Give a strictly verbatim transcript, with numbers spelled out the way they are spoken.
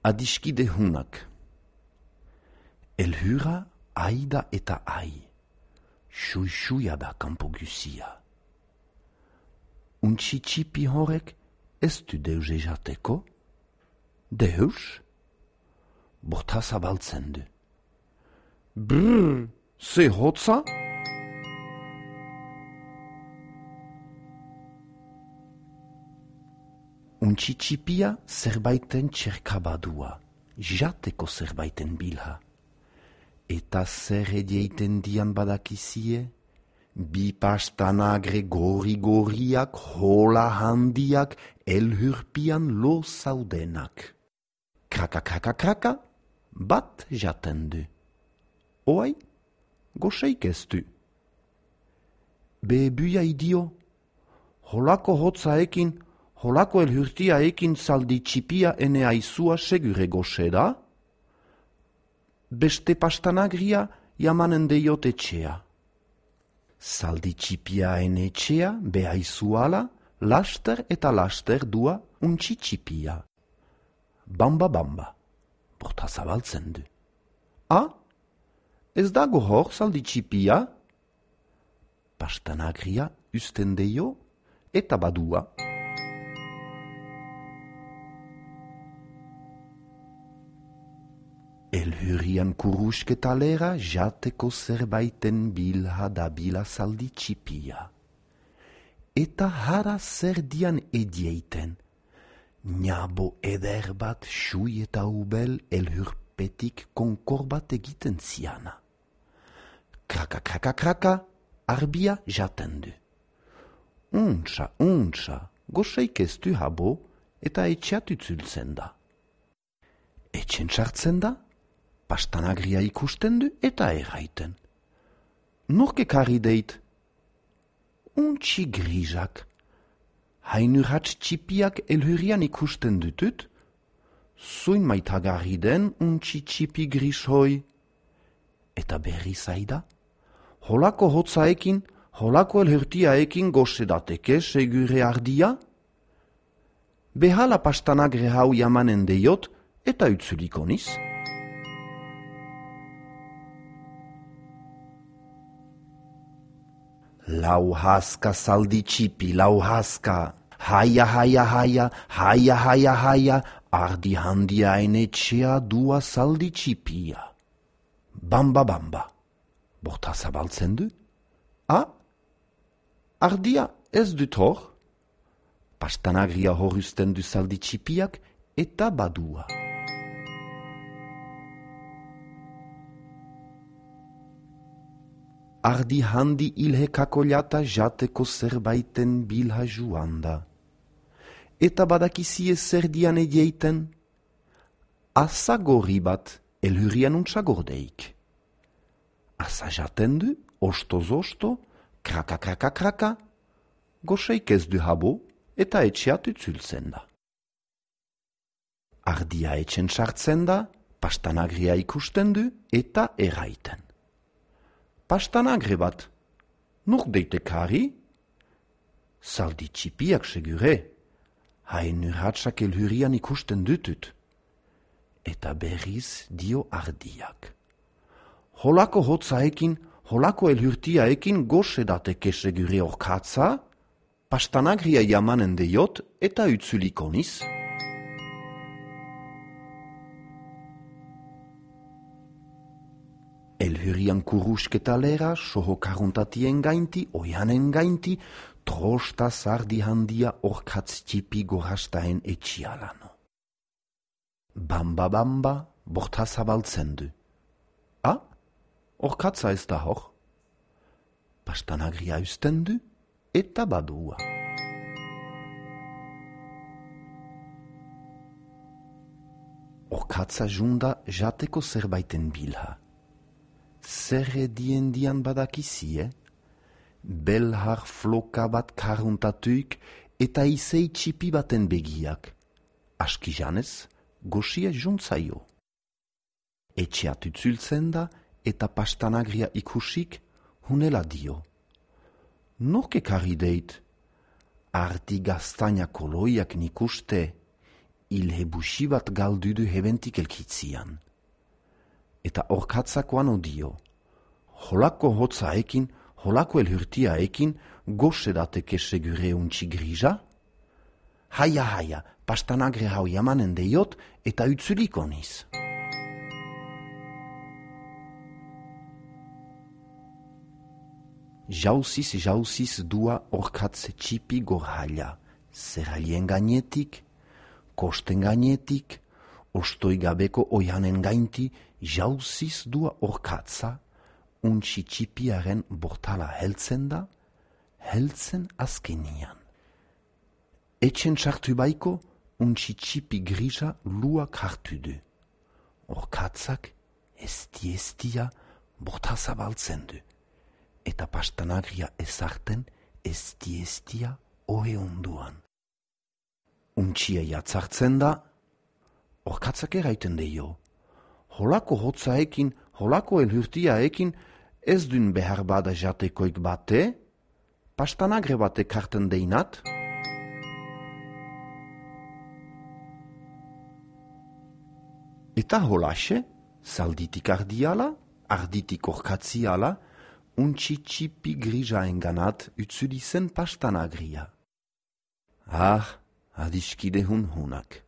Adiskide hunak. Elhura aida eta ai. Xui-xuia da kanpo guzia. Untxi txipi horrek ez du deuze jateko? Deus? Borta zabaltzen du. Brrr, ze hotza? Untxi txipia zerbaiten txerkabadua, jateko zerbaiten bilha. Eta zer edieiten dian badakizie? Bi pastanagre gori-goriak, hola handiak, elhurpian lo zaudenak. Kraka, kraka, kraka, bat jaten du. Oai, goseik ez du. Bebuia idio, holako hotzaekin, holako elhurtiaekin zaldi txipia ene aizua segure goxe da? Beste pastanagria jamanen deiot etxea. Zaldi txipia ene etxea, behaizuala, laster eta laster dua untxi txipia. Bamba bamba, borta zabaltzen du. Ah, ez dago hor zaldi txipia? Pastanagria usten deio eta badua. Elhurian kurusketalera jateko zerbaiten bilha da bila zaldi txipia. Eta hara zerdian edieiten. Niabo eder bat xui eta ubel elhurpetik konkor bat egiten ziana. Kraka, kraka, kraka, arbia jaten du. Untsa, untsa, goseik ez du habo eta etxeat utzultzen da. Etxen sartzen da? Pastanagria ikusten du eta erraiten. Nork ekarri deit? Untxi grizak. Hainurratz txipiak elhurian ikusten dutut? Zuin maitagarri den untxi txipi gris hoi. Eta berri zaida? Holako hotzaekin, holako elhurtiaekin gosedateke segure ardia? Behala pastanagre hau jamanen deiot eta utzuliko niz. Lau haska zaldi txipi, lau haska. Haia, haia, haia, haia, haia, haia, ardi handia enetxea dua zaldi txipia. Bamba, bamba. Borta zabaltzen du? Ah? Ardia ez dut hor? Pastanagria horuzten du zaldi txipiak eta badua. Ardi handi ilhekako jata jateko zerbaiten bilha juanda. Eta badakizie zerdian edieiten? Asa gorri bat elhurian untsa gordeik. Asa jaten du, ostoz-osto, kraka, kraka, kraka, goseik ez du habo eta etxeat utzultzen da. Ardia etxen sartzen da, pastanagria ikusten du eta erraiten. Pastanagre bat, nuk deitekari? Zaldi txipiak segure, hain urratsak elhurian ikusten dutut. Eta berriz dio ardiak. Holako hotzaekin, holako elhurtiaekin gosedateke segure orkatza, pastanagria jamanen deiot eta utzuliko niz. Elhurian kurusketalera, soho karuntatien gainti, oianen gainti, trosta zardi handia orkatz txipi gorastaen etxialano. Bamba bamba, borta zabaltzen du. Ah, orkatza ez da hor. Pastanagria usten du eta badua. Orkatza junda jateko zerbaiten bilha. Zer edien dian badakizie? Belhar floka bat karuntatuik eta izei txipi baten begiak. Aski janez, goxia juntzaio. Etxeat utzultzen da eta pastanagria ikusik hunela dio. Nork ekarri deit? Ardi gaztaina koloiak nikuste, ilhebusi bat galdudu hebentik elkitzian. Eta orkatzakoan odio. Holako hotzaekin, holako elhurtiaekin, gosedateke segure untxi grija? Haia, haia, pastanagre hau jamanen deiot eta utzuliko niz. Jauziz, jauziz dua orkatze txipi gorhaila, zerrailien gainetik, kosten gainetik, ostoi gabeko oianen gainti, jauziz dua orkatza, untxi txipiaren bortala heltzen da, heltzen azkenian. Etxen txartu baiko, untxi txipi grisa luak hartu du. Orkatzak, esti estia, borta zabaltzen du. Eta pastanagria ezarten, esti estia ohe onduan. Untxia jatzartzen da, orkatzak eraiten deio. Holako hotzaekin, holako elhurtiaekin, ez dun behar bada jatekoik bate, pastanagre bate karten deinat. Eta holaxe, zalditik ardiala, arditik orkatziala, untxi txipi grija enganat utzuli zen pastanagria. Ah, adiskide hun hunak.